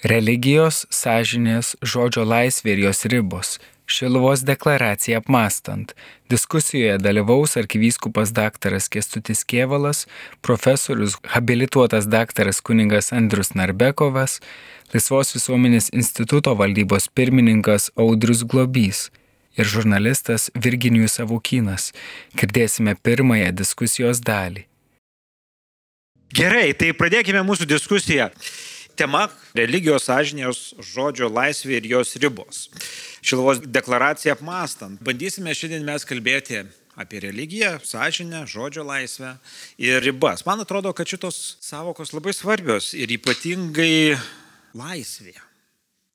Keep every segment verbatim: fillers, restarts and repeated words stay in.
Religijos, sąžinės, žodžio laisvė ir jos ribos. Šiluvos deklaraciją apmąstant. Diskusijoje dalyvaus arkivyskupas daktaras Kęstutis Kėvalas, profesorius habilituotas daktaras kunigas Andrius Narbekovas, Laisvos visuomenės instituto valdybos pirmininkas Audrius Globys ir žurnalistas Virginijus Savukynas. Girdėsime pirmąją diskusijos dalį. Gerai, tai pradėkime mūsų diskusiją. Tema – religijos, sąžinės, žodžio laisvė ir jos ribos. Šiluvos deklaraciją apmąstant. Bandysime šiandien mes kalbėti apie religiją, sąžinę, žodžio laisvę ir ribas. Man atrodo, kad šitos savokos labai svarbios ir ypatingai laisvė.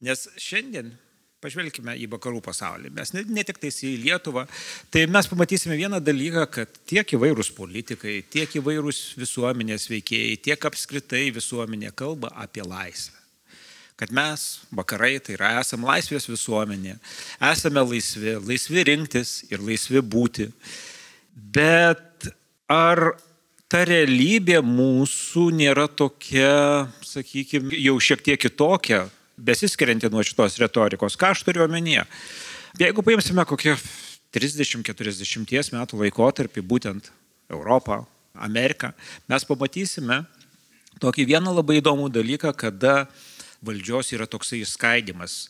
Nes šiandien pažvelkime į vakarų pasaulį, mes ne, ne tik tais į Lietuvą, tai mes pamatysime vieną dalyką, kad tiek įvairūs politikai, tiek įvairūs visuomenės veikėjai, tiek apskritai visuomenė kalba apie laisvę. Kad mes, vakarai, tai yra esame laisvės visuomenė, esame laisvi, laisvi rinktis ir laisvi būti. Bet ar ta realybė mūsų nėra tokia, sakykime, jau šiek tiek kitokia, besiskirianti nuo šitos retorikos? Ką aš turiu omenyje? Jeigu paimsime kokią trisdešimt keturiasdešimt metų laikotarpį, būtent Europą, Ameriką, mes pamatysime tokį vieną labai įdomų dalyką, kada valdžios yra toksai išskaidimas.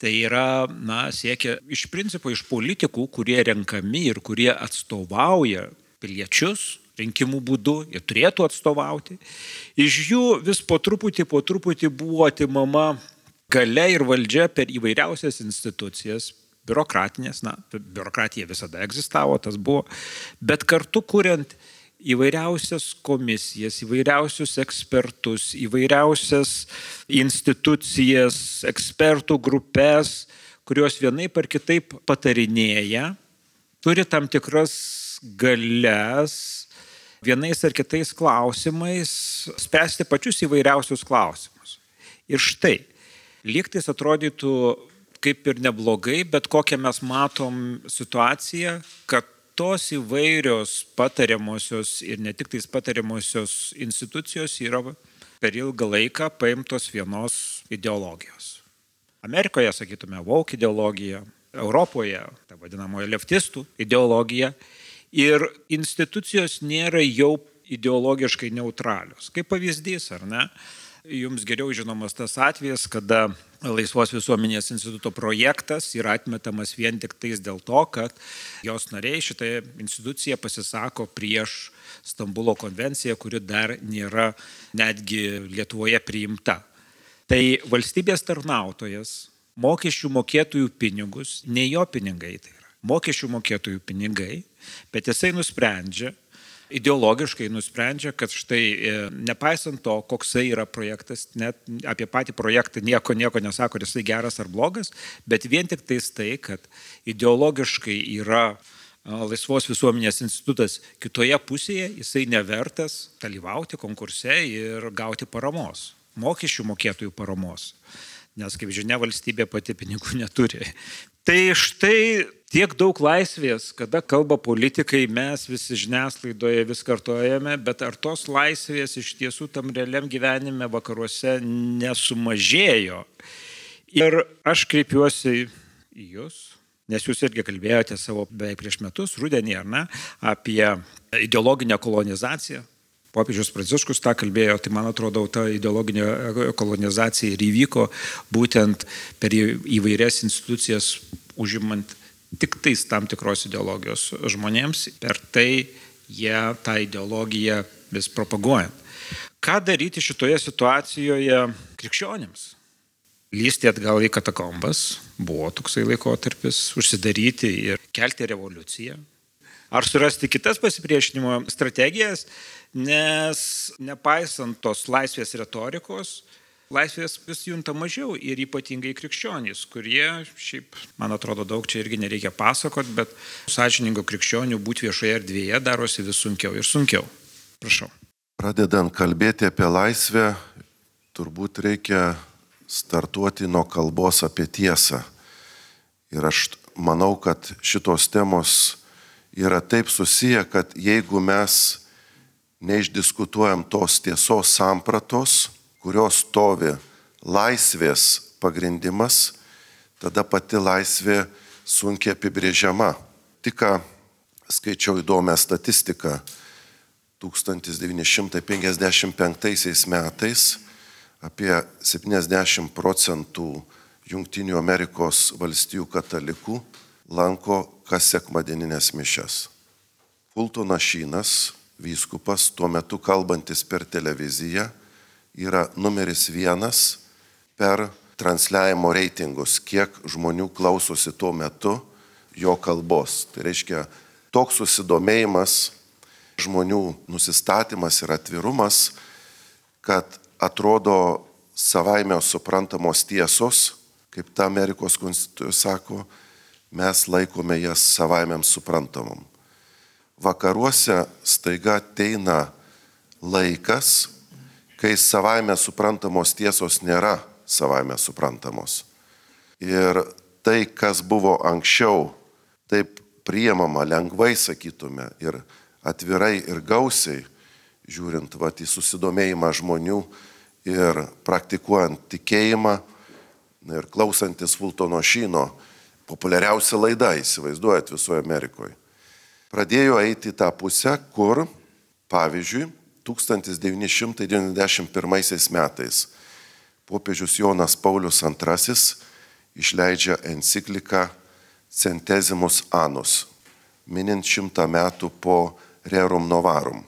Tai yra, na, siekia iš principo iš politikų, kurie renkami ir kurie atstovauja piliečius, rinkimų būdu, jie turėtų atstovauti. Iš jų vis po truputį, po truputį buvo atimama galia ir valdžia per įvairiausias institucijas, biurokratinės, na, biurokratija visada egzistavo, tas buvo, bet kartu kuriant įvairiausias komisijas, įvairiausius ekspertus, įvairiausias institucijas, ekspertų grupės, kurios vienaip ar kitaip patarinėja, turi tam tikras galias, vienais ar kitais klausimais spręsti pačius įvairiausius klausimus. Ir štai, lygtais atrodytų kaip ir neblogai, bet kokią mes matom situaciją, kad tos įvairios patariamosios ir ne tik tais patariamosios institucijos yra per ilgą laiką paimtos vienos ideologijos. Amerikoje, sakytume, woke ideologija, Europoje, ta vadinamoji leftistų ideologija, ir institucijos nėra jau ideologiškai neutralios. Kaip pavyzdys, ar ne? Jums geriau žinomas tas atvejis, kada Laisvos visuomenės instituto projektas yra atmetamas vien tik tais dėl to, kad jos nariai šitą instituciją pasisako prieš Stambulo konvenciją, kuri dar nėra netgi Lietuvoje priimta. Tai valstybės tarnautojas mokesčių mokėtojų pinigus, ne jo pinigai tai yra, mokesčių mokėtojų pinigai, bet jisai nusprendžia, ideologiškai nusprendžia, kad štai nepaisant to, koksai yra projektas, net apie patį projektą nieko, nieko nesako, ar jisai geras ar blogas, bet vien tik tais tai, kad ideologiškai yra Laisvos visuomenės institutas kitoje pusėje, jisai nevertas dalyvauti konkurse ir gauti paramos, mokesčių mokėtojų paramos. Nes, kaip žinia, valstybė pati pinigų neturi. Tai štai tiek daug laisvės, kada kalba politikai, mes visi žiniasklaidoje vis kartojame, bet ar tos laisvės iš tiesų tam realiam gyvenime vakaruose nesumažėjo? Ir aš kreipiuosi į jūs, nes jūs irgi kalbėjote savo beveik prieš metus, rudenį, ar ne, apie ideologinę kolonizaciją. Popiežius Pranciškus tą kalbėjo, tai man atrodo, ta ideologinė kolonizacija ir įvyko būtent per įvairias institucijas užimant tik tais tam tikros ideologijos žmonėms, per tai jie tą ideologiją vis propaguojant. Ką daryti šitoje situacijoje krikščionims? Lysti atgal į katakombas, buvo toksai laikotarpis, užsidaryti ir kelti revoliuciją. Ar surasti kitas pasipriešinimo strategijas, nes nepaisant tos laisvės retorikos, laisvės vis junta mažiau ir ypatingai krikščionys, kurie, šiaip, man atrodo, daug čia irgi nereikia pasakot, bet sąžiningo krikščionių būti viešoje erdvėje darosi vis sunkiau ir sunkiau. Prašau. Pradedant kalbėti apie laisvę, turbūt reikia startuoti nuo kalbos apie tiesą. Ir aš manau, kad šitos temos yra taip susiję, kad jeigu mes neišdiskutuojam tos tiesos sampratos, kurios stovi laisvės pagrindimas, tada pati laisvė sunkiai apibrėžiama. Tik ką skaičiau įdomią statistiką. tūkstantis devyni šimtai penkiasdešimt penktaisiais metais apie septyniasdešimt procentų Jungtinių Amerikos valstijų katalikų lanko kas sekmadieninės mišias. Fultonas Sheenas, vyskupas, tuo metu kalbantis per televiziją, yra numeris vienas per transliavimo reitingus, kiek žmonių klausosi tuo metu jo kalbos. Tai reiškia, toks susidomėjimas, žmonių nusistatymas ir atvirumas, kad atrodo savaime suprantamos tiesos, kaip ta Amerikos konstitucija sako, mes laikome jas savaime suprantamom. Vakaruose staiga ateina laikas, kai savaime suprantamos tiesos nėra savaime suprantamos. Ir tai, kas buvo anksčiau, taip priimama lengvai, sakytume, ir atvirai ir gausiai, žiūrint vat, į susidomėjimą žmonių ir praktikuojant tikėjimą ir klausantis Fultono Sheeno, populiariausia laida, įsivaizduojat, visoje Amerikoje. Pradėjo eiti į tą pusę, kur, pavyzdžiui, tūkstantis devyni šimtai devyniasdešimt pirmaisiais metais popiežius Jonas Paulius antrasis išleidžia encikliką Centesimus Annus, minint šimtą metų po Rerum Novarum.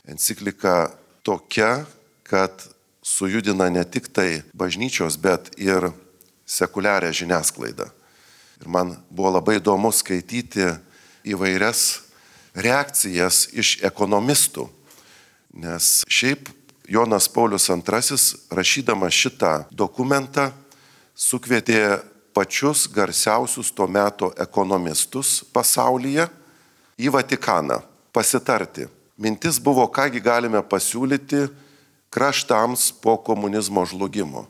Enciklika tokia, kad sujudina ne tik tai bažnyčios, bet ir sekuliarią žiniasklaidą. Ir man buvo labai įdomu skaityti įvairias reakcijas iš ekonomistų, nes šiaip Jonas Paulius antrasis, rašydamas šitą dokumentą, sukvietė pačius garsiausius to meto ekonomistus pasaulyje į Vatikaną pasitarti. Mintis buvo, kągi galime pasiūlyti kraštams po komunizmo žlugimo.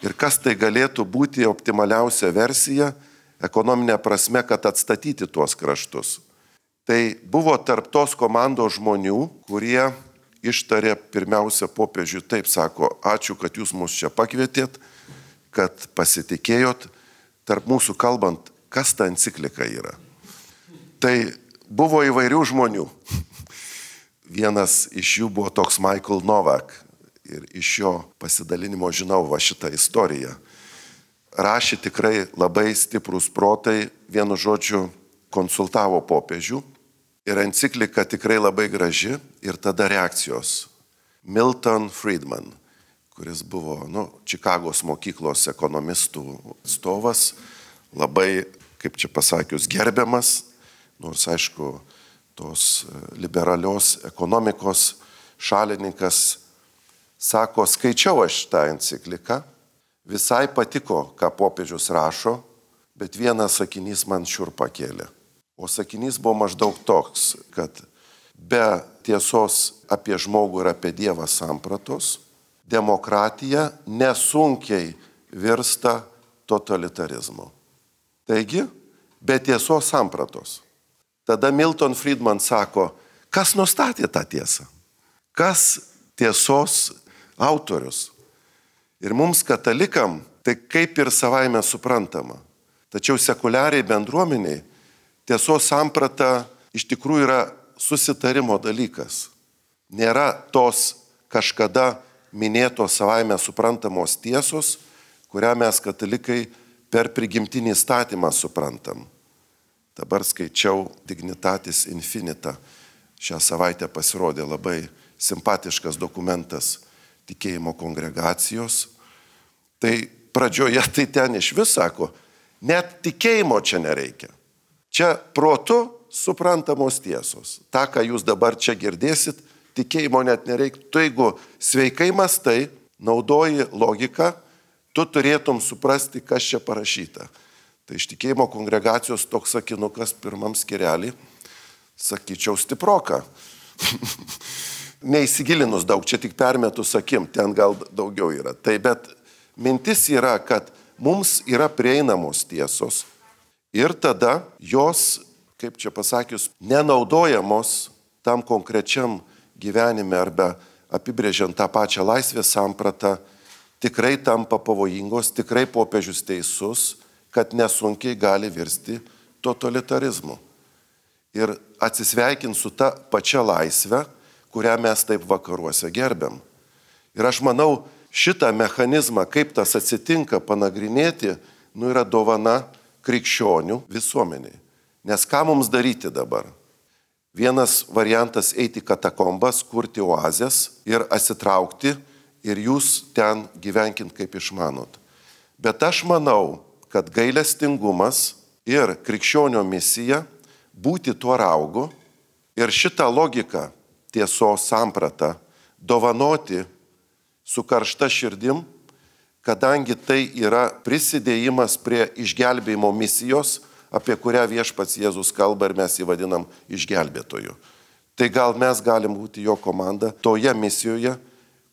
Ir kas tai galėtų būti optimaliausia versija ekonominė prasme, kad atstatyti tuos kraštus. Tai buvo tarp tos komandos žmonių, kurie ištarė pirmiausia popiežiui, taip sako, ačiū, kad jūs mus čia pakvietėt, kad pasitikėjot, tarp mūsų kalbant, kas ta enciklika yra. Tai buvo įvairių žmonių. Vienas iš jų buvo toks Michael Novak ir iš jo pasidalinimo žinau va šitą istoriją. Rašė tikrai labai stiprus protai, vienu žodžiu konsultavo popiežių ir enciklika tikrai labai graži ir tada reakcijos. Milton Friedman, kuris buvo nu, Čikagos mokyklos ekonomistų atstovas, labai, kaip čia pasakius, gerbiamas, nors aišku, tos liberalios ekonomikos šalininkas, sako, skaičiau aš tą encikliką, visai patiko, ką popiežius rašo, bet vienas sakinys man šiurpą kėlė. O sakinys buvo maždaug toks, kad be tiesos apie žmogų ir apie Dievą sampratos, demokratija nesunkiai virsta totalitarizmu. Taigi, be tiesos sampratos. Tada Milton Friedman sako, kas nustatė tą tiesą? Kas tiesos autorius? Ir mums katalikam tai kaip ir savaime suprantama. Tačiau sekuliariai bendruomeniai tiesos samprata iš tikrųjų yra susitarimo dalykas. Nėra tos kažkada minėtos savaime suprantamos tiesos, kurią mes katalikai per prigimtinį įstatymą suprantam. Dabar skaičiau Dignitatis Infinita. Šią savaitę pasirodė labai simpatiškas dokumentas tikėjimo kongregacijos. Tai pradžioje tai ten iš vis sako, net tikėjimo čia nereikia. Čia protu suprantamos tiesos. Ta, ką jūs dabar čia girdėsit, tikėjimo net nereikia. Tu, jeigu sveikai mastai, naudoji logiką, tu turėtum suprasti, kas čia parašyta. Tai iš tikėjimo kongregacijos toks sakinukas pirmam skirelį, sakyčiau, stiproka. Neįsigilinus daug, čia tik permetus akim, ten gal daugiau yra. Tai bet mintis yra, kad mums yra prieinamos tiesos ir tada jos, kaip čia pasakius, nenaudojamos tam konkrečiam gyvenime arba apibrėžiant tą pačią laisvės sampratą, tikrai tampa pavojingos, tikrai popiežius teisus, kad nesunkiai gali virsti totalitarizmu. Ir atsisveikint su ta pačia laisve, kurią mes taip vakaruose gerbiam. Ir aš manau, šitą mechanizmą, kaip tas atsitinka, panagrinėti, nu yra dovana krikščionių visuomeniai. Nes ką mums daryti dabar? Vienas variantas eiti į katakombas, kurti oazės ir atsitraukti ir jūs ten gyvenkint kaip išmanot. Bet aš manau, kad gailestingumas ir krikščionio misija būti tuo raugu ir šitą logiką, tiesos sampratą dovanoti su karšta širdim, kadangi tai yra prisidėjimas prie išgelbėjimo misijos, apie kurią viešpats Jėzus kalba ir mes jį vadinam išgelbėtoju. Tai gal mes galim būti jo komanda toje misijoje,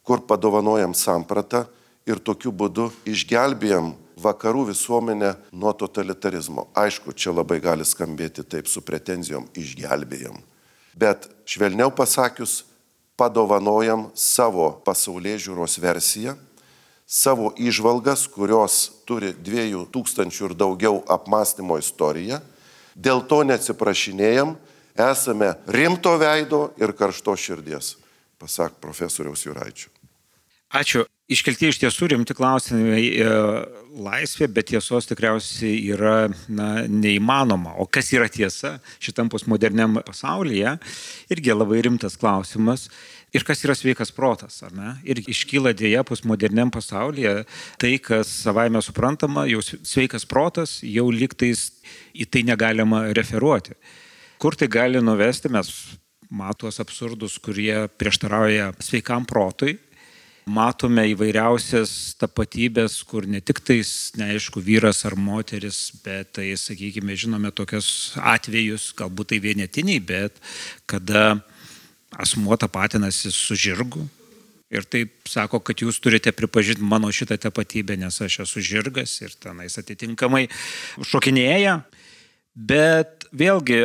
kur padovanojam sampratą ir tokiu būdu išgelbėjam vakarų visuomenę nuo totalitarizmo. Aišku, čia labai gali skambėti taip su pretenzijom išgelbėjam. Bet švelniau pasakius, padovanojam savo pasaulėžiūros versiją, savo įžvalgas, kurios turi dviejų tūkstančių ir daugiau apmąstymo istoriją. Dėl to neatsiprašinėjam, esame rimto veido ir karšto širdies, pasak profesoriaus Juraičio. Ačiū. Iškelti iš tiesų rimti klausimai laisvė, bet tiesos tikriausiai yra na, neįmanoma. O kas yra tiesa šitam postmoderniam pasaulyje? Irgi labai rimtas klausimas. Ir kas yra sveikas protas, ar ne? Ir iškyla dėja postmoderniam pasaulyje tai, kas savaime suprantama, jau sveikas protas, jau lygtais į tai negalima referuoti. Kur tai gali nuvesti, mes matos absurdus, kurie prieštarauja sveikam protui. Matome įvairiausias tapatybės, kur ne tik tais, neaišku, vyras ar moteris, bet tai, sakykime, žinome tokius atvejus, galbūt tai vienetiniai, bet kada asmuo tapatinasi su žirgu ir taip sako, kad jūs turite pripažinti mano šitą tapatybę, nes aš esu žirgas ir tenais atitinkamai šokinėja. Bet vėlgi,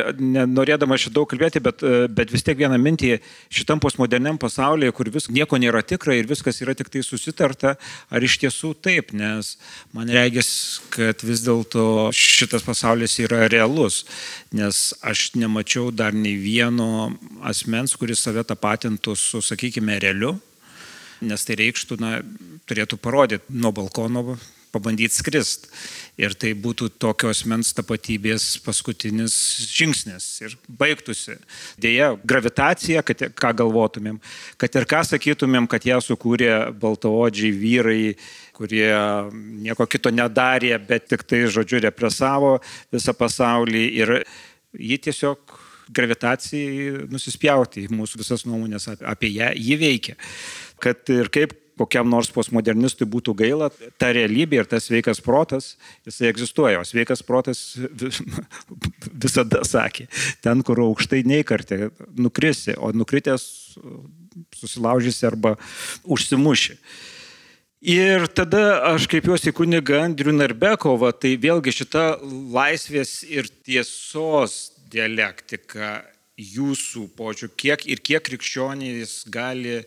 norėdama šitą daug kalbėti, bet, bet vis tiek vieną mintį, šitam postmoderniam pasaulyje, kur vis, nieko nėra tikra ir viskas yra tik tai susitarta, ar iš tiesų taip, nes man regis, kad vis dėlto šitas pasaulis yra realus, nes aš nemačiau dar nei vieno asmens, kuris save tapatintų su, sakykime, realiu, nes tai reikštų, na, turėtų parodyti nuo balkono, pabandyti skrist. Ir tai būtų tokios asmens tapatybės paskutinis žingsnis ir baigtųsi. Deja, gravitacija, kad, ką galvotumėm, kad ir ką sakytumėm, kad ją sukūrė baltaodžiai vyrai, kurie nieko kito nedarė, bet tik tai, žodžiu, represavo visą pasaulį ir ji tiesiog gravitacijai nusispjauti į mūsų visas nuomonės apie ją, ji veikia. Kad ir kaip kokiam nors postmodernistui būtų gaila, ta realybė ir tas sveikas protas, jisai egzistuoja, o sveikas protas visada sakė, ten, kur aukštai neįkartė, nukrisi, o nukritęs susilaužysi arba užsimuši. Ir tada aš kreipiuosi į kunigą Andrių Narbekovą, tai vėlgi šita laisvės ir tiesos dialektika jūsų požiūriu, kiek ir kiek krikščionys gali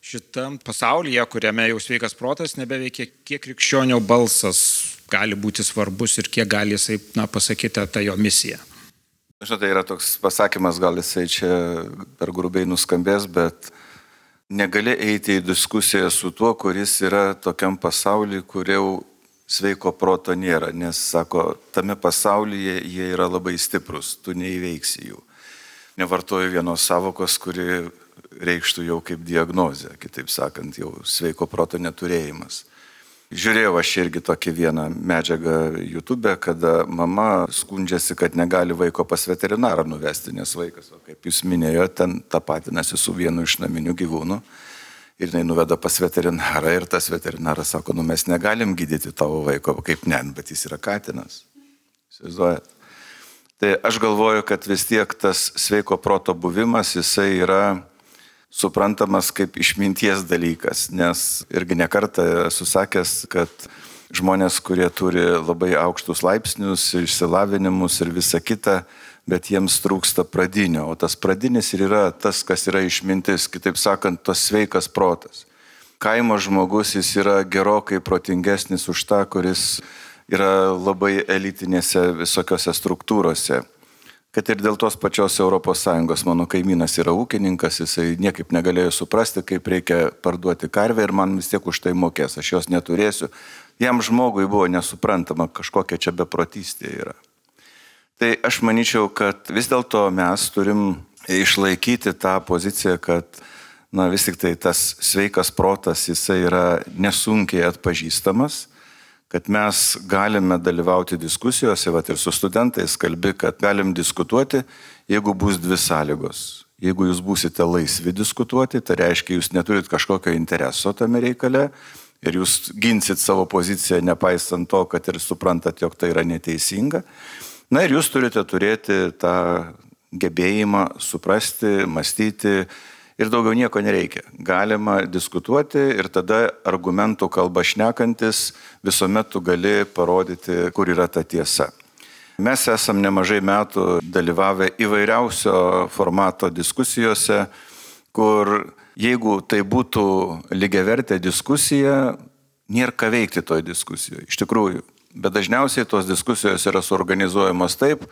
šitam pasaulyje, kuriame jau sveikas protas nebeveikia, kiek krikščionio balsas gali būti svarbus ir kiek gali jisai, na, pasakyti tą jo misiją. Žinote, tai yra toks pasakymas, gal jisai čia per grubiai nuskambės, bet negali eiti į diskusiją su tuo, kuris yra tokiam pasaulyje, kur jau sveiko proto nėra, nes, sako, tame pasaulyje jie yra labai stiprus, tu neįveiksi jų. Nevartoju vienos savokos, kuri reikštų jau kaip diagnozė, kitaip sakant, jau sveiko proto neturėjimas. Žiūrėjau aš irgi tokį vieną medžiagą YouTube, kada mama skundžiasi, kad negali vaiko pas veterinarą nuvesti, nes vaikas, o kaip jūs minėjote, ten tapatinasi su vienu iš naminių gyvūnų ir jinai nuveda pas veterinarą ir tas veterinaras sako, nu mes negalim gydyti tavo vaiko, kaip ne, bet jis yra katinas. Įsivaizduojat? Tai aš galvoju, kad vis tiek tas sveiko proto buvimas, jisai yra suprantamas kaip išminties dalykas, nes irgi nekartą esu sakęs, kad žmonės, kurie turi labai aukštus laipsnius, išsilavinimus ir visa kita, bet jiems trūksta pradinio, o tas pradinis ir yra tas, kas yra išmintis, kitaip sakant, tas sveikas protas. kaimo žmogus jis yra gerokai protingesnis už tą, kuris yra labai elitinėse visokiose struktūrose. Kad ir dėl tos pačios Europos Sąjungos mano kaimynas yra ūkininkas, jisai niekaip negalėjo suprasti, kaip reikia parduoti karvę ir man vis tiek už tai mokės, aš jos neturėsiu. Jam žmogui buvo nesuprantama, kažkokia čia beprotystė yra. Tai aš manyčiau, kad vis dėlto mes turim išlaikyti tą poziciją, kad na, vis tik tai tas sveikas protas, jisai yra nesunkiai atpažįstamas, kad mes galime dalyvauti diskusijose, vat ir su studentais kalbi, kad galim diskutuoti, jeigu bus dvi sąlygos. Jeigu jūs būsite laisvi diskutuoti, tai reiškia, jūs neturit kažkokio intereso tame reikale ir jūs ginsit savo poziciją, nepaisant to, kad ir suprantat, jog tai yra neteisinga. Na ir jūs turite turėti tą gebėjimą suprasti, mąstyti, ir daugiau nieko nereikia. Galima diskutuoti ir tada argumentų kalba šnekantis visuomet tu gali parodyti, kur yra ta tiesa. Mes esam nemažai metų dalyvavę įvairiausio formato diskusijose, kur jeigu tai būtų lygiavertė diskusija, nėra ką veikti toj diskusijoje. Iš tikrųjų. Bet dažniausiai tos diskusijos yra suorganizuojamos taip,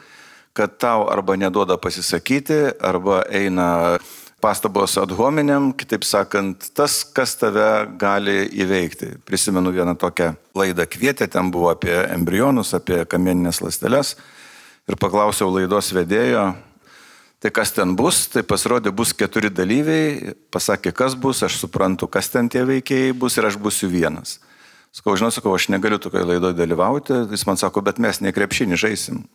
kad tau arba neduoda pasisakyti, arba eina pastabos ad hominem, kitaip sakant, tas, kas tave gali įveikti. Prisimenu vieną tokią laidą kvietė, ten buvo apie embrionus, apie kamieninės ląsteles ir paklausiau laidos vedėjo, tai kas ten bus, tai pasirodė bus keturi dalyviai, pasakė, kas bus, aš suprantu, kas ten tie veikėjai bus ir aš būsiu vienas. Sakau, žinau, sakau, aš negaliu tokioje laidoje dalyvauti, jis man sako, bet mes ne krepšinį žaisim.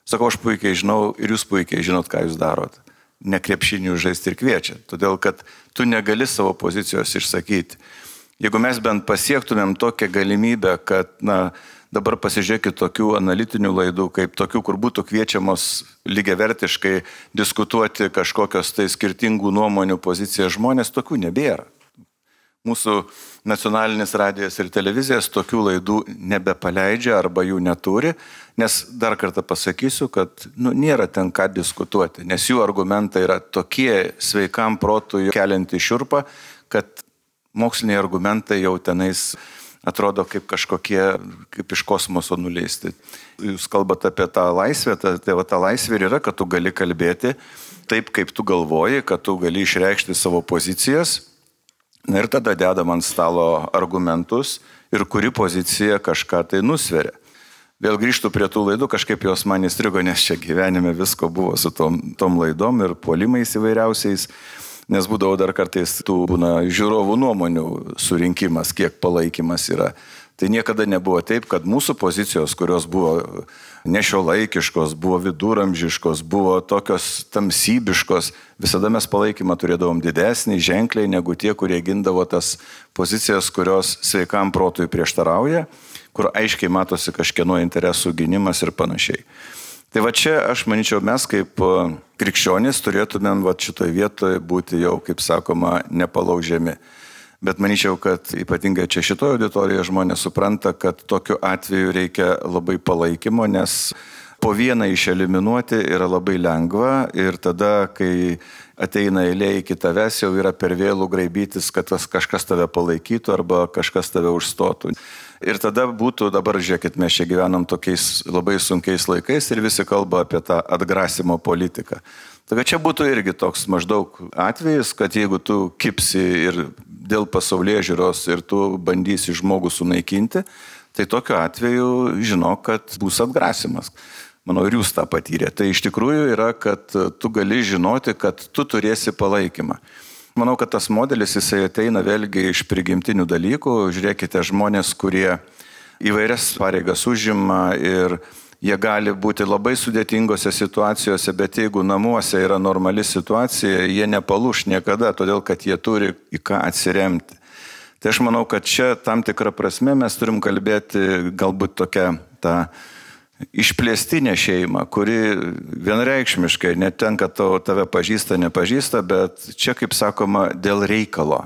Sakau, aš puikiai žinau ir jūs puikiai žinot, ką jūs darot. Ne krepšinių žaisti ir kviečia, todėl kad tu negali savo pozicijos išsakyti. Jeigu mes bent pasiektumėm tokią galimybę, kad na, dabar pasižiūrėkit tokių analitinių laidų, kaip tokių, kur būtų kviečiamos lygiavertiškai diskutuoti kažkokios tai skirtingų nuomonių pozicijas žmonės, tokių nebėra. Mūsų nacionalinis radijas ir televizijas tokių laidų nebepaleidžia arba jų neturi, nes dar kartą pasakysiu, kad nu, nėra ten ką diskutuoti, nes jų argumentai yra tokie sveikam protui kelianti šiurpą, kad moksliniai argumentai jau tenais atrodo kaip kažkokie, kaip iš kosmoso nuleisti. Jūs kalbate apie tą laisvę, tai ta, ta laisvė yra, kad tu gali kalbėti taip, kaip tu galvoji, kad tu gali išreikšti savo pozicijas. Na ir tada dedam ant stalo argumentus ir kuri pozicija kažką tai nusveria. Vėl grįžtu prie tų laidų, kažkaip jos man įstrigo, nes čia gyvenime visko buvo su tom, tom laidom ir puolimais įvairiausiais, nes būdavo dar kartais tų būna žiūrovų nuomonių surinkimas, kiek palaikymas yra. Tai niekada nebuvo taip, kad mūsų pozicijos, kurios buvo nešiuolaikiškos, buvo viduramžiškos, buvo tokios tamsybiškos, visada mes palaikymą turėdavom didesnį, ženkliai negu tie, kurie gindavo tas pozicijas, kurios sveikam protui prieštarauja, kur aiškiai matosi kažkieno interesų gynimas ir panašiai. Tai va čia, aš manyčiau, mes kaip krikščionys turėtumėm va šitoje vietoje būti jau, kaip sakoma, nepalaužiami. Bet manyčiau, kad ypatingai čia šitoje auditorijoje žmonės supranta, kad tokiu atveju reikia labai palaikymo, nes po vieną išeliminuoti yra labai lengva ir tada, kai ateina eilė iki tavęs, jau yra per vėlų graibytis, kad kažkas tave palaikytų arba kažkas tave užstotų. Ir tada būtų, dabar žiūrėkit, mes čia gyvenam tokiais labai sunkiais laikais ir visi kalba apie tą atgrasimo politiką. Taigi čia būtų irgi toks maždaug atvejis, kad jeigu tu kipsi ir dėl pasaulėžiūros ir tu bandysi žmogų sunaikinti, tai tokiu atveju žinok, kad bus atgrasimas. Manau, ir jūs tą patyrė. Tai iš tikrųjų yra, kad tu gali žinoti, kad tu turėsi palaikymą. Manau, kad tas modelis jisai ateina vėlgi iš prigimtinių dalykų. Žiūrėkite, žmonės, kurie įvairias pareigas užima ir jie gali būti labai sudėtingose situacijose, bet jeigu namuose yra normali situacija, jie nepalūš niekada, todėl kad jie turi į ką atsiremti. Tai aš manau, kad čia tam tikrą prasme mes turim kalbėti galbūt tokią tą išplėstinę šeimą, kuri vienareikšmiškai netenka to, tave pažįsta, nepažįsta, bet čia, kaip sakoma, dėl reikalo.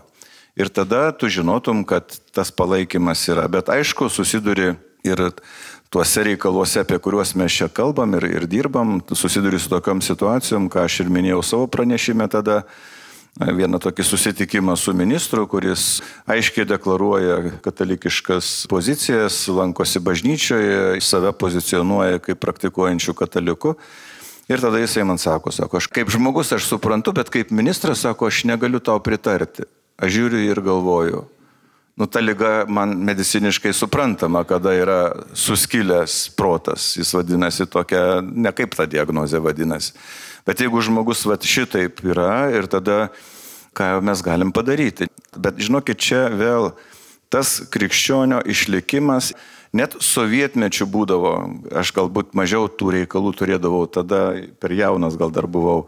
Ir tada tu žinotum, kad tas palaikymas yra. Bet aišku, susiduri ir tuose reikaluose, apie kuriuos mes čia kalbam ir, ir dirbam, susiduri su tokiom situacijom, ką aš ir minėjau savo pranešime tada, vieną tokį susitikimą su ministru, kuris aiškiai deklaruoja katalikiškas pozicijas, lankosi bažnyčioje, save pozicionuoja kaip praktikuojančių katalikų. Ir tada jisai man sako, sako, aš kaip žmogus aš suprantu, bet kaip ministras, sako, aš negaliu tau pritarti. Aš žiūriu ir galvoju, nu ta liga man mediciniškai suprantama, kada yra suskilęs protas, jis vadinasi tokia, ne kaip ta diagnozė vadinasi. Bet jeigu žmogus vat šitaip yra ir tada, ką mes galim padaryti. Bet žinokit, čia vėl tas krikščionio išlikimas, net sovietmečių būdavo, aš galbūt mažiau tų reikalų turėdavau, tada per jaunas gal dar buvau,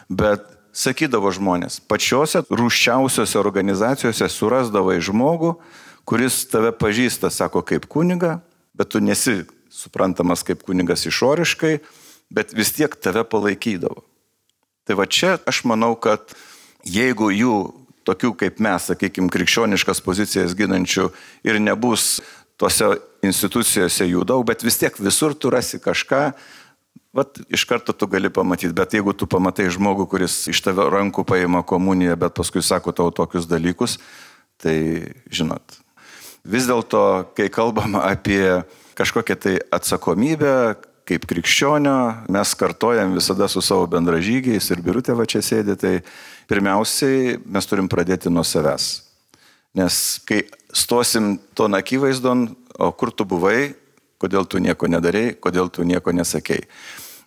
bet sakydavo žmonės, pačiose rūsčiausiose organizacijose surasdavai žmogų, kuris tave pažįsta, sako, kaip kuniga, bet tu nesi suprantamas kaip kunigas išoriškai, bet vis tiek tave palaikydavo. Tai va čia aš manau, kad jeigu jų tokių kaip mes, sakykime, krikščioniškas pozicijas ginančių ir nebus tose institucijose jų daug, bet vis tiek visur tu rasi kažką, vat iš karto tu gali pamatyti. Bet jeigu tu pamatai žmogų, kuris iš tave rankų paima komuniją, bet paskui sako tau tokius dalykus, tai žinot. Vis dėlto, kai kalbam apie kažkokią tai atsakomybę, kaip krikščionio, mes kartojam visada su savo bendražygiais ir Birutė va čia sėdi, tai pirmiausiai mes turim pradėti nuo savęs. Nes kai stosim to akivaizdon, o kur tu buvai, kodėl tu nieko nedarei, kodėl tu nieko nesakei.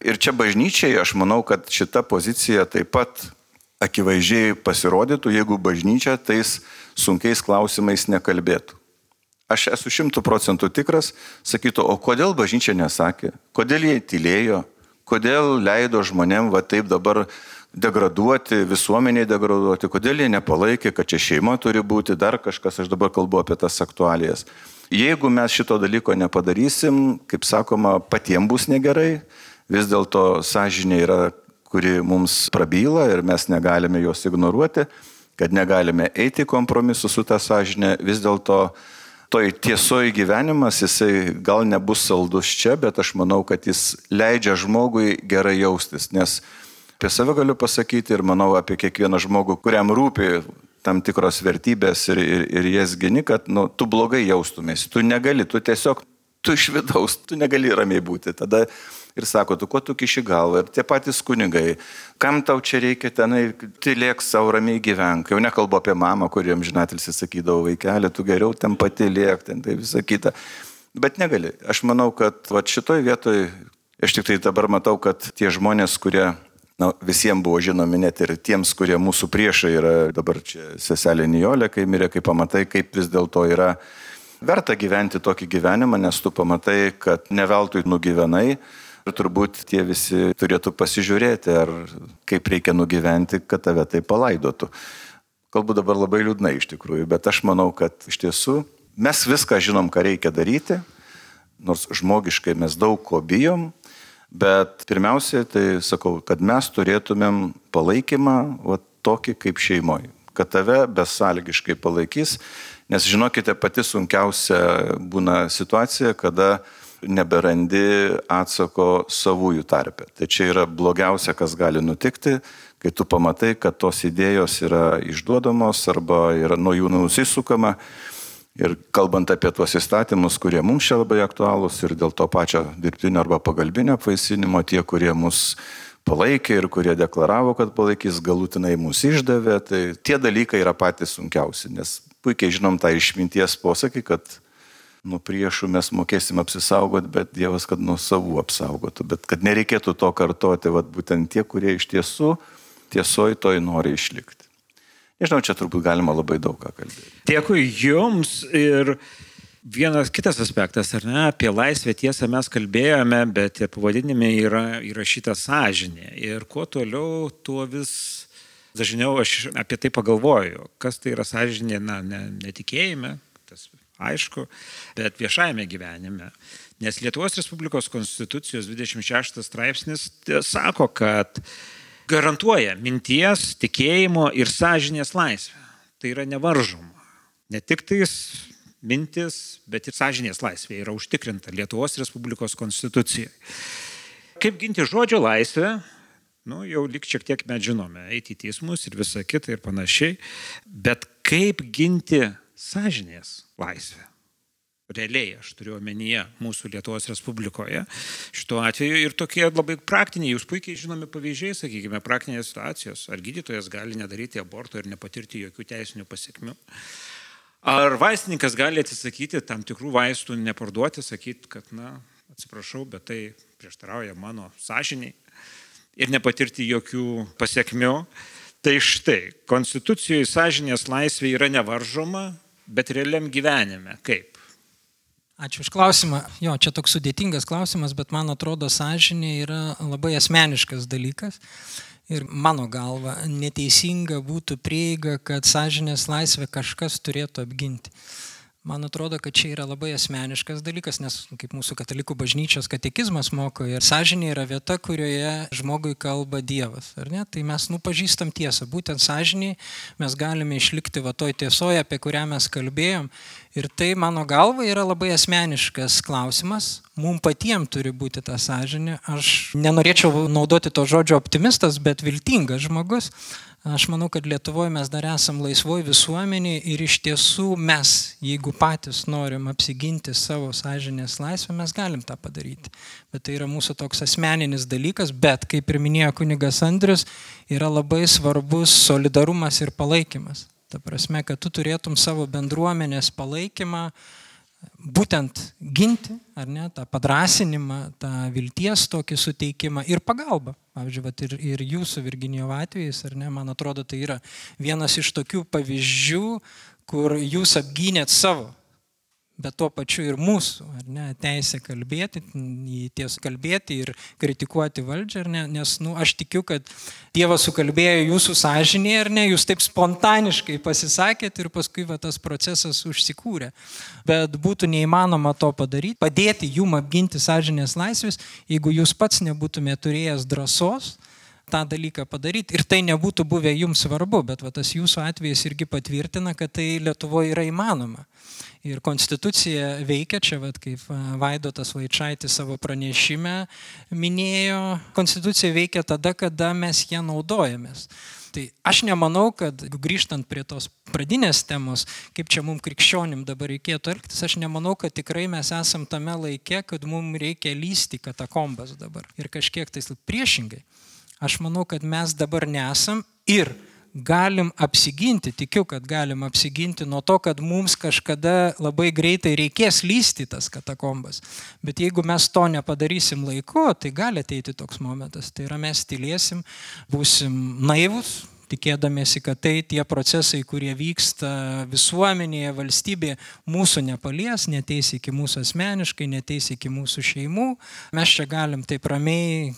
Ir čia bažnyčiai, aš manau, kad šita pozicija taip pat akivaizdžiai pasirodytų, jeigu bažnyčia tais sunkiais klausimais nekalbėtų. Aš esu šimtų procentų tikras, sakytų, o kodėl bažnyčia nesakė, kodėl jie tylėjo, kodėl leido žmonėm va taip dabar degraduoti, visuomeniai degraduoti, kodėl jie nepalaikė, kad čia šeima turi būti, dar kažkas, aš dabar kalbu apie tas aktualijas. Jeigu mes šito dalyko nepadarysim, kaip sakoma, patiems bus negerai, vis dėlto sąžinė yra, kuri mums prabyla ir mes negalime jos ignoruoti, kad negalime eiti kompromisu su ta sąžinė, vis dėlto toj tiesoj gyvenimas, jisai gal nebus saldus čia, bet aš manau, kad jis leidžia žmogui gerai jaustis, nes apie save galiu pasakyti ir manau apie kiekvieną žmogų, kuriam rūpi tam tikros vertybės ir, ir, ir jas gini, kad nu, tu blogai jaustumėsi, tu negali, tu tiesiog, tu iš vidaus, tu negali ramiai būti. Tada ir sako, tu ko tu kiši galvą, ir tie patys kunigai, kam tau čia reikia tenai, tylėk savo ramiai gyvenk. Jau nekalbu apie mamą, kuriem žinatilsi sakydavo, vaikelė, tu geriau ten pati liek, ten tai visą kitą. Bet negali. Aš manau, kad va, šitoj vietoj, aš tik tai dabar matau, kad tie žmonės, kurie na, visiems buvo žinomi, net ir tiems, kurie mūsų priešai yra, dabar čia seselė Nijolė, kai mirė, kai pamatai, kaip vis dėlto yra verta gyventi tokį gyvenimą, nes tu pamatai, kad ne veltui nugyvenai. Ir turbūt tie visi turėtų pasižiūrėti, ar kaip reikia nugyventi, kad tave tai palaidotų. Kalbu dabar labai liūdnai iš tikrųjų, bet aš manau, kad iš tiesų mes viską žinom, ką reikia daryti, nors žmogiškai mes daug ko bijom, bet pirmiausia, tai sakau, kad mes turėtumėm palaikymą va, tokį kaip šeimoje, kad tave besąlygiškai palaikys, nes žinokite, pati sunkiausia būna situacija, kada neberandi atsako savųjų tarpe. Tai čia yra blogiausia, kas gali nutikti, kai tu pamatai, kad tos idėjos yra išduodamos arba yra nuo jų nusisukama. Ir kalbant apie tuos įstatymus, kurie mums čia labai aktualūs ir dėl to pačio dirbtinio arba pagalbinio apvaisinimo, tie, kurie mus palaikė ir kurie deklaravo, kad palaikys, galutinai mus išdavė, tai tie dalykai yra patys sunkiausi, nes puikiai žinom tą išminties posakį, kad nuo priešų mes mokėsim apsisaugoti, bet Dievas, kad nuo savų apsaugotų. Bet kad nereikėtų to kartoti, vat, būtent tie, kurie iš tiesų tiesoj toj nori išlikti. Nežinau, čia turbūt galima labai daug ką kalbėti. Dėkui jums ir vienas kitas aspektas, ar ne, apie laisvę tiesą mes kalbėjome, bet ir pavadinime yra įrašyta sąžinė. Ir kuo toliau, tuo vis dažniau aš apie tai pagalvoju. Kas tai yra sąžinė, na, ne, netikėjime, tas aišku, bet viešajame gyvenime. Nes Lietuvos Respublikos Konstitucijos dvidešimt šeštas straipsnis sako, kad garantuoja minties, tikėjimo ir sąžinės laisvę. Tai yra nevaržoma. Ne tik tais mintis, bet ir sąžinės laisvė yra užtikrinta Lietuvos Respublikos Konstitucijoje. Kaip ginti žodžio laisvę, nu, jau lik šiek tiek mes žinome, eiti į teismus ir visa kita ir panašiai, bet kaip ginti sąžinės laisvę? Realiai, aš turiu omenyje mūsų Lietuvos Respublikoje, šituo atveju ir tokie labai praktiniai, jūs puikiai žinomi pavyzdžiai, sakykime, praktinės situacijos, ar gydytojas gali nedaryti aborto ir nepatirti jokių teisinių pasiekmių. Ar vaistininkas gali atsisakyti tam tikrų vaistų, neparduoti, sakyti, kad, na, atsiprašau, bet tai prieštarauja mano sąžiniai ir nepatirti jokių pasiekmių. Tai štai, Konstitucijoje sąžinės laisvė yra nevaržoma, bet realiam gyvenime kaip? Ačiū už klausimą. Jo, čia toks sudėtingas klausimas, bet man atrodo, sąžinė yra labai asmeniškas dalykas. Ir mano galva, neteisinga būtų prieiga, kad sąžinės laisvę kažkas turėtų apginti. Man atrodo, kad čia yra labai asmeniškas dalykas, nes kaip mūsų katalikų bažnyčios katekizmas moko, ir sąžinė yra vieta, kurioje žmogui kalba Dievas. Ar ne? Tai mes nupažįstam tiesą. Būtent sąžinėje mes galime išlikti va toj tiesoje, apie kurią mes kalbėjom. Ir tai, mano galva, yra labai asmeniškas klausimas. Mums patiems turi būti ta sąžinė. Aš nenorėčiau naudoti to žodžio optimistas, bet viltingas žmogus. Aš manau, kad Lietuvoje mes dar esam laisvoj visuomenėje ir iš tiesų mes, jeigu patys norim apsiginti savo sąžinės laisvę, mes galim tą padaryti. Bet tai yra mūsų toks asmeninis dalykas, bet, kaip ir minėjo kunigas Andrius, yra labai svarbus solidarumas ir palaikymas. Ta prasme, kad tu turėtum savo bendruomenės palaikymą, būtent ginti, ar ne, tą padrasinimą, tą vilties tokį suteikimą ir pagalbą. Pavyzdžiui, vat ir, ir jūsų Virginijo atvejais, ar ne, man atrodo, tai yra vienas iš tokių pavyzdžių, kur jūs apgynėt savo, bet tuo pačiu ir mūsų, ar ne, teisę kalbėti, ties kalbėti ir kritikuoti valdžią, ar ne, nes, nu, aš tikiu, kad Dievas sukalbėjo jūsų sąžinėje, ar ne, jūs taip spontaniškai pasisakėt ir paskui va, tas procesas užsikūrė. Bet būtų neįmanoma to padaryti, padėti jum apginti sąžinės laisvės, jeigu jūs pats nebūtumėte turėjęs drąsos tą dalyką padaryti ir tai nebūtų buvę jums svarbu, bet va, tas jūsų atvejis irgi patvirtina, kad tai Lietuvoje yra įmanoma. Ir konstitucija veikia, čia vat, kaip Vaidotas Vaičaitis savo pranešime minėjo, konstitucija veikia tada, kada mes ją naudojamės. Tai aš nemanau, kad grįžtant prie tos pradinės temos, kaip čia mums krikščionim dabar reikėtų elgtis, aš nemanau, kad tikrai mes esam tame laike, kad mums reikia lysti katakombas dabar. Ir kažkiek tai priešingai. Aš manau, kad mes dabar nesam ir galim apsiginti, tikiu, kad galim apsiginti nuo to, kad mums kažkada labai greitai reikės lysti tas katakombas. Bet jeigu mes to nepadarysim laiku, tai gali ateiti toks momentas. Tai yra mes tylėsim, būsim naivus, tikėdamėsi, kad tai tie procesai, kurie vyksta visuomenėje, valstybėje, mūsų nepalies, neteis iki mūsų asmeniškai, neteis iki mūsų šeimų. Mes čia galim taip ramiai,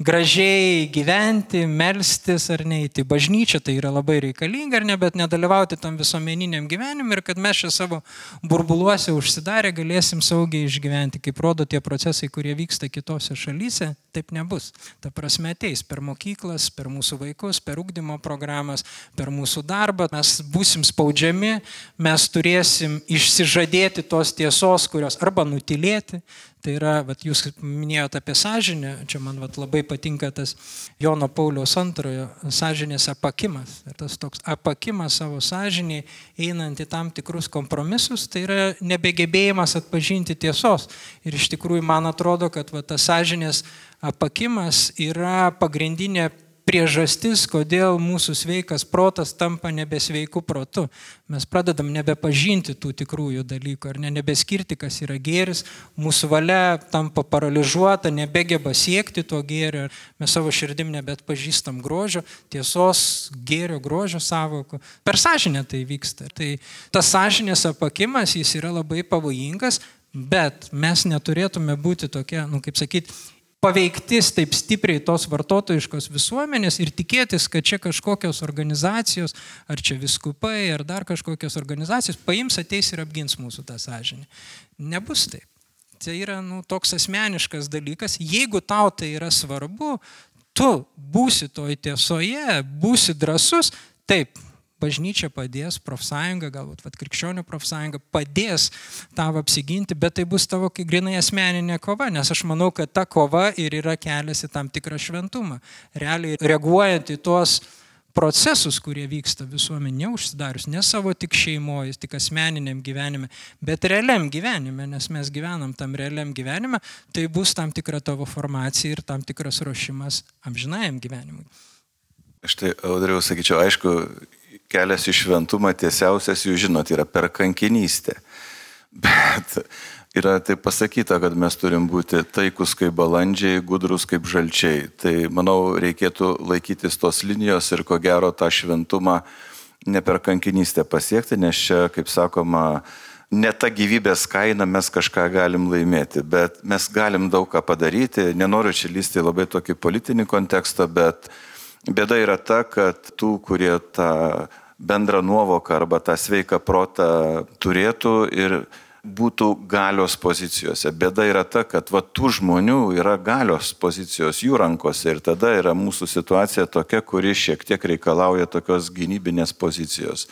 gražiai gyventi, melstis ar neiti bažnyčią, tai yra labai reikalinga ar ne, bet nedalyvauti tam visuomeniniam gyvenimui ir kad mes čia savo burbuluose užsidarę galėsim saugiai išgyventi. Kaip rodo tie procesai, kurie vyksta kitose šalyse, taip nebus. Ta prasme ateis per mokyklas, per mūsų vaikus, per ugdymo programas, per mūsų darbą. Mes būsim spaudžiami, mes turėsim išsižadėti tos tiesos, kurios arba nutilėti. Tai yra, vat, jūs minėjote apie sąžinę, čia man vat, labai patinka tas Jono Pauliaus antrojo sąžinės apakimas. Ir tas toks apakimas savo sąžinėje, einant į tam tikrus kompromisus, tai yra nebegebėjimas atpažinti tiesos. Ir iš tikrųjų man atrodo, kad vat, tas sąžinės apakimas yra pagrindinė priežastis, kodėl mūsų sveikas protas tampa nebesveiku protu. Mes pradedam nebepažinti tų tikrųjų dalykų, ar ne, nebeskirti, kas yra gėris, mūsų valia tampa paralyžiuota, nebegeba siekti to gėrio, mes savo širdim nebetpažįstam grožio, tiesos, gėrio, grožio sąvokų. Per sąžinę tai vyksta. Tai tas sąžinės apakimas, jis yra labai pavojingas, bet mes neturėtume būti tokie, nu kaip sakyti, paveiktis taip stipriai tos vartotojiškos visuomenės ir tikėtis, kad čia kažkokios organizacijos, ar čia viskupai, ar dar kažkokios organizacijos paims, ateis ir apgins mūsų tą sąžinę. Nebus taip. Tai yra nu, toks asmeniškas dalykas. Jeigu tau tai yra svarbu, tu būsi toj tiesoje, būsi drąsus, taip, bažnyčia padės, profsąjunga, galbūt vat, krikščionių profsąjunga padės tavo apsiginti, bet tai bus tavo kaip grinai asmeninė kova, nes aš manau, kad ta kova ir yra kelias į tam tikrą šventumą. Realiai reaguojant į tuos procesus, kurie vyksta visuomenė, neužsidarius, ne savo tik šeimoje, tik asmeniniam gyvenime, bet realiam gyvenime, nes mes gyvenam tam realiam gyvenime, tai bus tam tikra tavo formacija ir tam tikras ruošimas amžinajam gyvenimui. Štai, Audriau, sakyčiau, aišku, kelias į šventumą tiesiausias, jūs žinot, yra per kankinystę. Bet yra taip pasakyta, kad mes turim būti taikus kaip balandžiai, gudrus kaip žalčiai. Tai, manau, reikėtų laikytis tos linijos ir ko gero tą šventumą ne per kankinystę pasiekti, nes čia, kaip sakoma, ne ta gyvybės kaina mes kažką galim laimėti, bet mes galim daug ką padaryti. Nenoriu čia lysti labai tokį politinį kontekstą, bet bėda yra ta, kad tų, kurie tą bendrą nuovoką arba tą sveiką protą turėtų ir būtų galios pozicijose. Bėda yra ta, kad va, tų žmonių yra galios pozicijos jų rankose ir tada yra mūsų situacija tokia, kuri šiek tiek reikalauja tokios gynybinės pozicijos.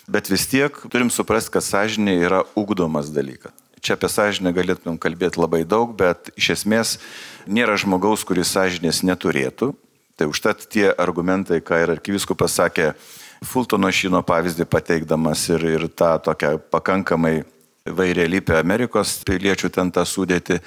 Bet vis tiek turim suprasti, kad sąžinė yra ugdomas dalykas. Čia apie sąžinę galėtumėm kalbėti labai daug, bet iš esmės nėra žmogaus, kuris sąžinės neturėtų. Tai užtat tie argumentai, ką ir arkivyskupas sakė, Fultono Šyno pavyzdį pateikdamas ir, ir tą tokią pakankamai vairialypę Amerikos piliečių ten tą sudėti,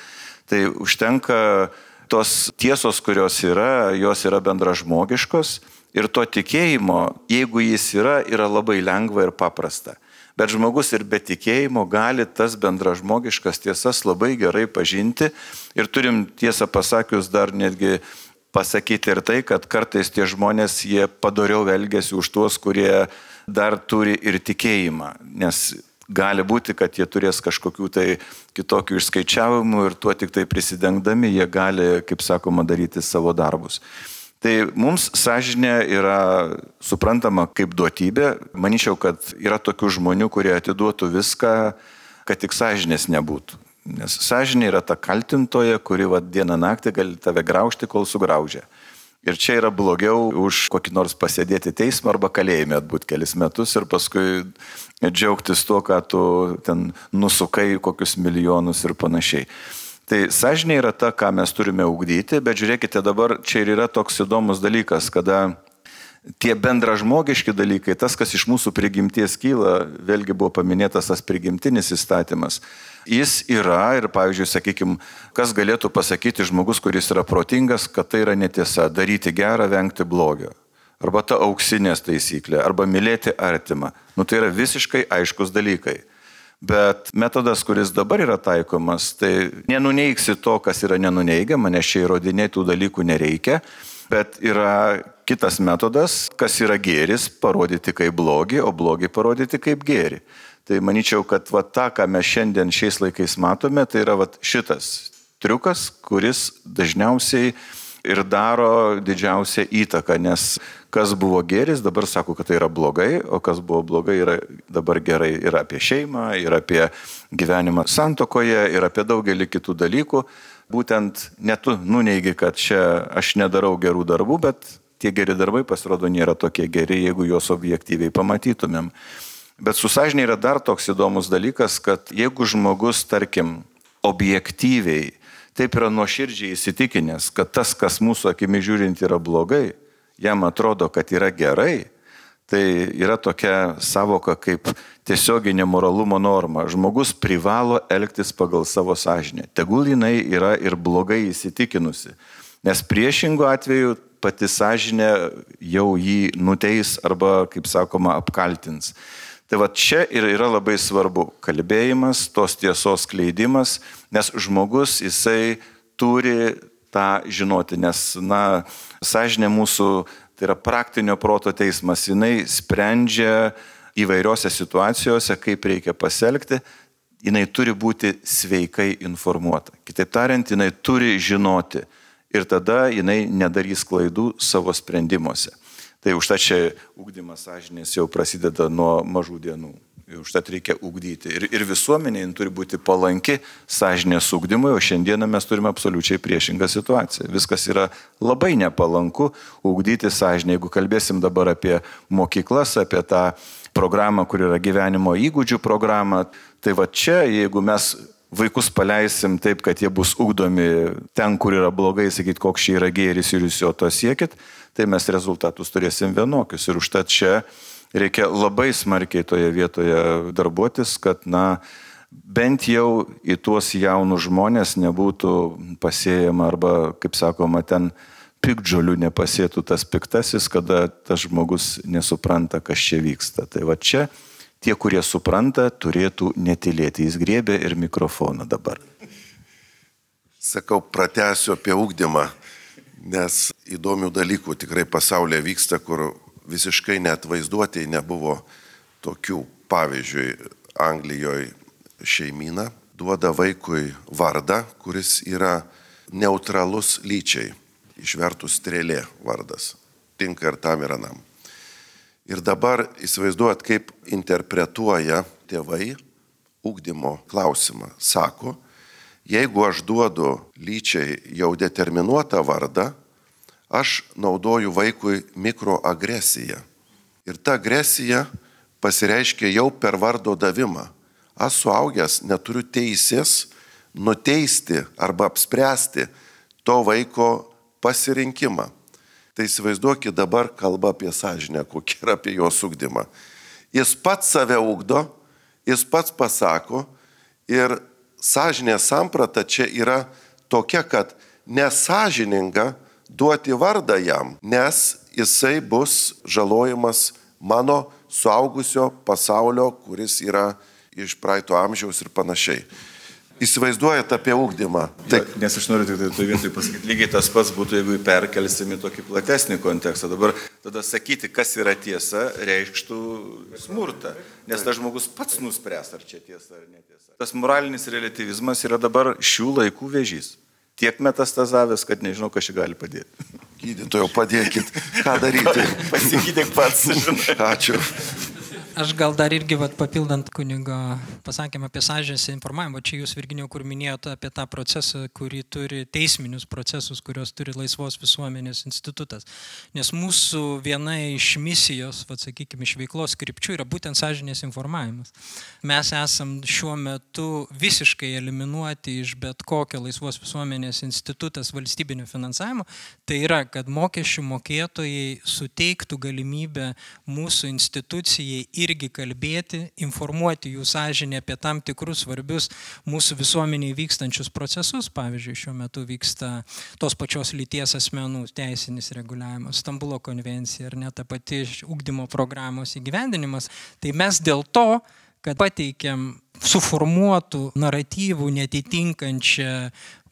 tai užtenka tos tiesos, kurios yra, jos yra bendražmogiškos ir to tikėjimo, jeigu jis yra, yra labai lengva ir paprasta. Bet žmogus ir be tikėjimo gali tas bendražmogiškas tiesas labai gerai pažinti ir turim tiesą pasakius dar netgi pasakyti ir tai, kad kartais tie žmonės, jie padoriau elgiasi už tuos, kurie dar turi ir tikėjimą, nes gali būti, kad jie turės kažkokių tai kitokių išskaičiavimų ir tuo tik tai prisidengdami jie gali, kaip sakoma, daryti savo darbus. Tai mums sąžinė yra suprantama kaip duotybė. Manyčiau, kad yra tokių žmonių, kurie atiduotų viską, kad tik sąžinės nebūtų. Nes sąžinė yra ta kaltintoja, kuri va, dieną naktį gali tave graužti, kol sugraužia. Ir čia yra blogiau už kokį nors pasėdėti teismą arba kalėjime atbūt kelis metus ir paskui džiaugtis tuo, ką tu ten nusukai kokius milijonus ir panašiai. Tai sąžinė yra ta, ką mes turime ugdyti, bet žiūrėkite dabar, čia ir yra toks įdomus dalykas, kada tie bendražmogiški dalykai, tas, kas iš mūsų prigimties kyla, vėlgi buvo paminėtas tas prigimtinis įstatymas, jis yra ir, pavyzdžiui, sakykime, kas galėtų pasakyti žmogus, kuris yra protingas, kad tai yra netiesa, daryti gerą, vengti blogio. Arba ta auksinės taisyklė, arba mylėti artimą. Nu, tai yra visiškai aiškus dalykai. Bet metodas, kuris dabar yra taikomas, tai nenuneigsi to, kas yra nenuneigiama, nes čia įrodinėti tų dalykų nereikia, bet yra kitas metodas, kas yra gėris, parodyti kaip blogį, o blogį parodyti kaip gėrį. Tai manyčiau, kad va, tą, ką mes šiandien šiais laikais matome, tai yra va, šitas triukas, kuris dažniausiai ir daro didžiausią įtaką, nes kas buvo gėris, dabar sako, kad tai yra blogai, o kas buvo blogai, yra dabar gerai ir apie šeimą, ir apie gyvenimą santuokoje, ir apie daugelį kitų dalykų. Būtent ne tu nuneigi, kad čia aš nedarau gerų darbų, bet tie geri darbai pasirodo nėra tokie geri, jeigu juos objektyviai pamatytumėm. Bet su sąžinė yra dar toks įdomus dalykas, kad jeigu žmogus, tarkim, objektyviai, taip yra nuoširdžiai įsitikinęs, kad tas, kas mūsų akimi žiūrint yra blogai, jam atrodo, kad yra gerai, tai yra tokia savoka kaip tiesioginė moralumo norma. Žmogus privalo elgtis pagal savo sąžinę. Tegul jinai yra ir blogai įsitikinusi, nes priešingu atveju pati sąžinė jau jį nuteis arba, kaip sakoma, apkaltins. Tai va čia ir yra labai svarbu kalbėjimas, tos tiesos skleidimas, nes žmogus jisai turi tą žinoti, nes, na, sąžinė mūsų, tai yra praktinio proto teismas, jinai sprendžia įvairiose situacijose, kaip reikia pasielgti, jinai turi būti sveikai informuota. Kitaip tariant, jinai turi žinoti ir tada jinai nedarys klaidų savo sprendimuose. Tai už tą čia ugdymas sąžinės jau prasideda nuo mažų dienų. Užtat reikia ugdyti. Ir, ir visuomenė turi būti palanki sąžinės ugdymui, o šiandieną mes turime absoliučiai priešingą situaciją. Viskas yra labai nepalanku ugdyti sąžinę. Jeigu kalbėsim dabar apie mokyklas, apie tą programą, kur yra gyvenimo įgūdžių programa, tai va čia, jeigu mes vaikus paleisim taip, kad jie bus ugdomi ten, kur yra blogai, sakyti, koks čia yra gėris ir jūs jo to siekit, tai mes rezultatus turėsim vienokius. Ir užtat čia reikia labai smarkiai toje vietoje darbuotis, kad, na, bent jau į tuos jaunus žmonės nebūtų pasėjama arba, kaip sakoma, ten piktžolių nepasėtų tas piktasis, kada tas žmogus nesupranta, kas čia vyksta. Tai va čia tie, kurie supranta, turėtų netylėti. Jis griebė ir mikrofoną dabar. Sakau, pratęsiu apie ugdymą, nes įdomių dalykų tikrai pasaulyje vyksta, kur visiškai net vaizduotėj nebuvo tokių. Pavyzdžiui, Anglijoje šeimyna duoda vaikui vardą, kuris yra neutralus lyčiai, išvertus strėlė vardas, tinka ir tam ir anam. Ir dabar įsivaizduojat, kaip interpretuoja tėvai ugdymo klausimą. Sako, jeigu aš duodu lyčiai jau determinuotą vardą, aš naudoju vaikui mikroagresiją. Ir ta agresija pasireiškia jau per vardo davimą. Aš suaugęs neturiu teisės nuteisti arba apspręsti to vaiko pasirinkimą. Tai įsivaizduokit dabar kalba apie sąžinę, kokia yra apie jos ugdymą. Jis pats save ugdo, jis pats pasako ir sąžinės samprata čia yra tokia, kad nesąžininga duoti vardą jam, nes jisai bus žalojimas mano suaugusio pasaulio, kuris yra iš praeito amžiaus ir panašiai. Įsivaizduojat apie ugdymą. Tai, nes aš noriu tik tai toje vietoje pasakyti, lygiai tas pats būtų, jeigu perkelsime tokį platesnį kontekstą. Dabar tada sakyti, kas yra tiesa, reikštų smurtą, nes tas žmogus pats nuspręs, ar čia tiesa ar netiesa. Tas moralinis relativizmas yra dabar šių laikų vėžys. Tiek metastazavęs, kad nežinau, kas čia gali padėti. Gydytojau, padėkit, ką daryti. Pasigydyk pats, žinai. Ačiū. Aš gal dar irgi vat, papildant kunigo pasakymą apie sąžinės informavimą, čia jūs, Virginijau, kur minėjote apie tą procesą, kurį turi teisminius procesus, kurios turi laisvos visuomenės institutas. Nes mūsų viena iš misijos, vat, sakykime, iš veiklos krypčių yra būtent sąžinės informavimas. Mes esam šiuo metu visiškai eliminuoti iš bet kokio laisvos visuomenės institutas valstybinio finansavimo. Tai yra, kad mokesčių mokėtojai suteiktų galimybę mūsų institucijai irgi kalbėti, informuoti jų sąžinę apie tam tikrus svarbius mūsų visuomeniai vykstančius procesus. Pavyzdžiui, šiuo metu vyksta tos pačios lyties asmenų teisinis reguliavimas, Stambulo konvencija ar net ta pati ugdymo programos įgyvendinimas. Tai mes dėl to, kad pateikiam suformuotų naratyvų netitinkančią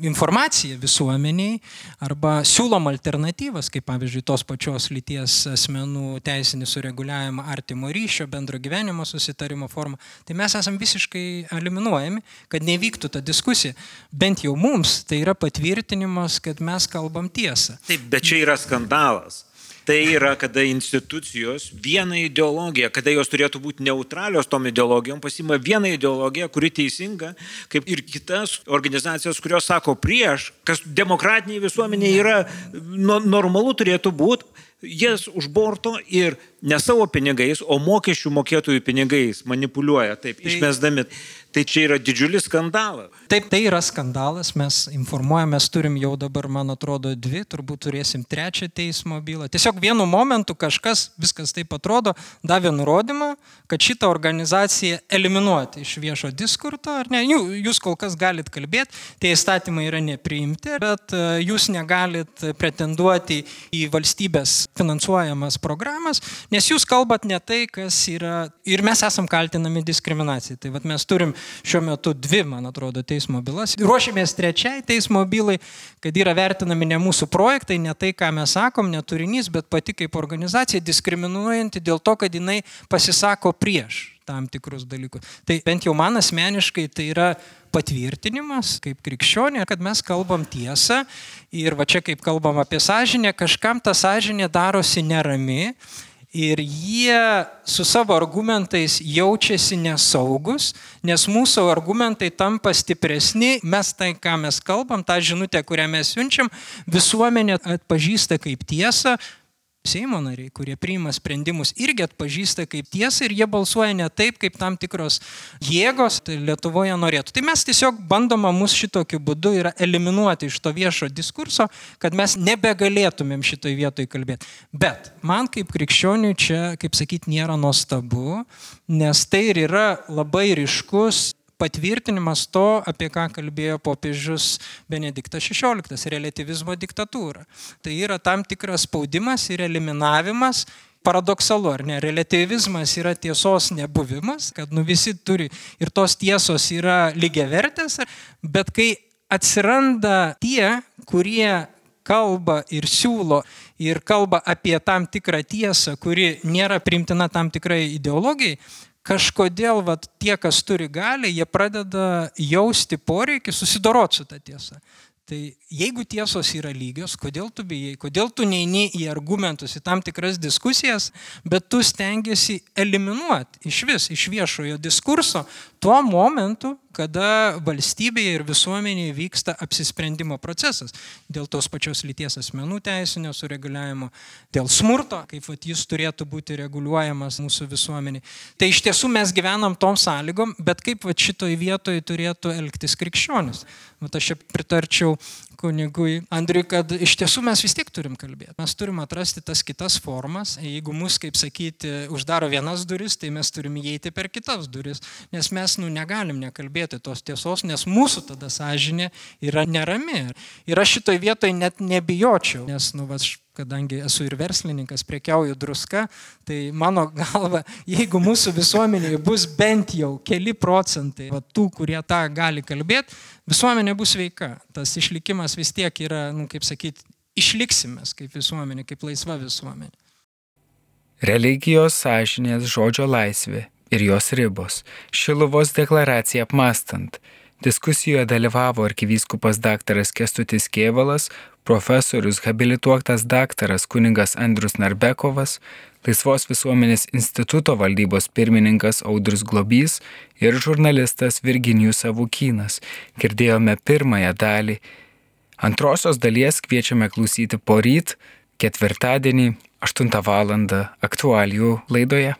informaciją visuomeniai arba siūlom alternatyvas, kaip pavyzdžiui tos pačios lyties asmenų teisinį sureguliavimą artimo ryšio, bendro gyvenimo susitarimo formą, tai mes esam visiškai eliminuojami, kad nevyktų ta diskusija. Bent jau mums tai yra patvirtinimas, kad mes kalbam tiesą. Taip, bet čia yra skandalas. Tai yra, kada institucijos vieną ideologiją, kada jos turėtų būti neutralios tom ideologijom, pasima vieną ideologiją, kuri teisinga, kaip ir kitas organizacijos, kurios sako prieš, kas demokratiniai visuomeniai yra no, normalu turėtų būti, jas už borto ir ne savo pinigais, o mokesčių mokėtojų pinigais manipuliuoja, taip, tai, išmesdami. Tai čia yra didžiulis skandalas. Taip, tai yra skandalas, mes informuojame, mes turim jau dabar, man atrodo, dvi, turbūt turėsim trečią teismo bylą. Tiesiog vienu momentu kažkas, viskas taip atrodo, davė nurodymą, kad šitą organizaciją eliminuoti iš viešo diskurto, ar ne? Jūs kol kas galit kalbėti, tie įstatymai yra nepriimti, bet jūs negalit pretenduoti į valstybės finansuojamas programas, nes jūs kalbat ne tai, kas yra, ir mes esam kaltinami diskriminacijai. Tai vat mes turim šiuo metu dvi, man atrodo, teismo bylas. Ruošiamės trečiai teismo bylai, kad yra vertinami ne mūsų projektai, ne tai, ką mes sakom, ne turinys, bet pati kaip organizacija diskriminuojanti dėl to, kad jinai pasisako prieš tam tikrus dalykus. Tai bent jau man asmeniškai tai yra patvirtinimas kaip krikščionė, kad mes kalbam tiesą ir va čia kaip kalbam apie sąžinę, kažkam ta sąžinė darosi nerami Ir jie su savo argumentais jaučiasi nesaugus, nes mūsų argumentai tampa stipresni, mes tai, ką mes kalbam, tą žinutę, kurią mes siunčiam, visuomenė atpažįsta kaip tiesą. Seimo nariai, kurie priima sprendimus, irgi atpažįsta kaip tiesą ir jie balsuoja ne taip, kaip tam tikros jėgos tai Lietuvoje norėtų. Tai mes tiesiog bandoma mus šitokiu būdu yra eliminuoti iš to viešo diskurso, kad mes nebegalėtumėm šitoj vietoj kalbėti. Bet man kaip krikščioniui čia, kaip sakyti, nėra nuostabu, nes tai ir yra labai ryškus patvirtinimas to, apie ką kalbėjo popiežius Benediktas šešioliktas, reliatyvizmo diktatūra. Tai yra tam tikras spaudimas ir eliminavimas. Paradoksalu, ar ne? Reliatyvizmas yra tiesos nebuvimas, kad nu visi turi ir tos tiesos yra lygiavertės, bet kai atsiranda tie, kurie kalba ir siūlo ir kalba apie tam tikrą tiesą, kuri nėra priimtina tam tikrai ideologijai, kažkodėl vat, tie, kas turi galią, jie pradeda jausti poreikį susidoroti su ta tiesa. Tai jeigu tiesos yra lygios, kodėl tu bijai, kodėl tu neini į argumentus, į tam tikras diskusijas, bet tu stengiasi eliminuoti iš vis, iš viešojo diskurso tuo momentu, kada valstybėje ir visuomenėje vyksta apsisprendimo procesas dėl tos pačios lyties asmenų teisinio sureguliavimo, dėl smurto, kaip vat, jis turėtų būti reguliuojamas mūsų visuomenėje. Tai iš tiesų mes gyvenam tom sąlygom, bet kaip vat, šitoj vietoj turėtų elgtis krikščionis. Vat aš čia pritarčiau kunigui Andriui, kad iš tiesų mes vis tiek turim kalbėti. Mes turim atrasti tas kitas formas. Jeigu mus, kaip sakyti, uždaro vienas duris, tai mes turim įeiti per kitas duris, nes mes nu, negalim nekalbėti tos tiesos, nes mūsų tada sąžinė yra nerami. Ir aš šitoj vietoj net nebijočiau, nes, nu, aš, kadangi esu ir verslininkas, prekiauju druska, tai mano galva, jeigu mūsų visuomenėje bus bent jau keli procentai va, tų, kurie tą gali kalbėti, visuomenė bus sveika. Tas išlikimas vis tiek yra, nu, kaip sakyti, išliksimės kaip visuomenė, kaip laisva visuomenė. Religijos, sąžinės, žodžio laisvė ir jos ribos. Šiluvos deklaraciją apmąstant. Diskusijoje dalyvavo arkivyskupas daktaras Kęstutis Kėvalas, profesorius habilituotas daktaras kunigas Andrius Narbekovas, Laisvos visuomenės instituto valdybos pirmininkas Audrius Globys ir žurnalistas Virginijus Savukynas. Girdėjome pirmąją dalį. Antrosios dalies kviečiame klausyti poryt, ketvirtadienį, aštuntą valandą aktualijų laidoje.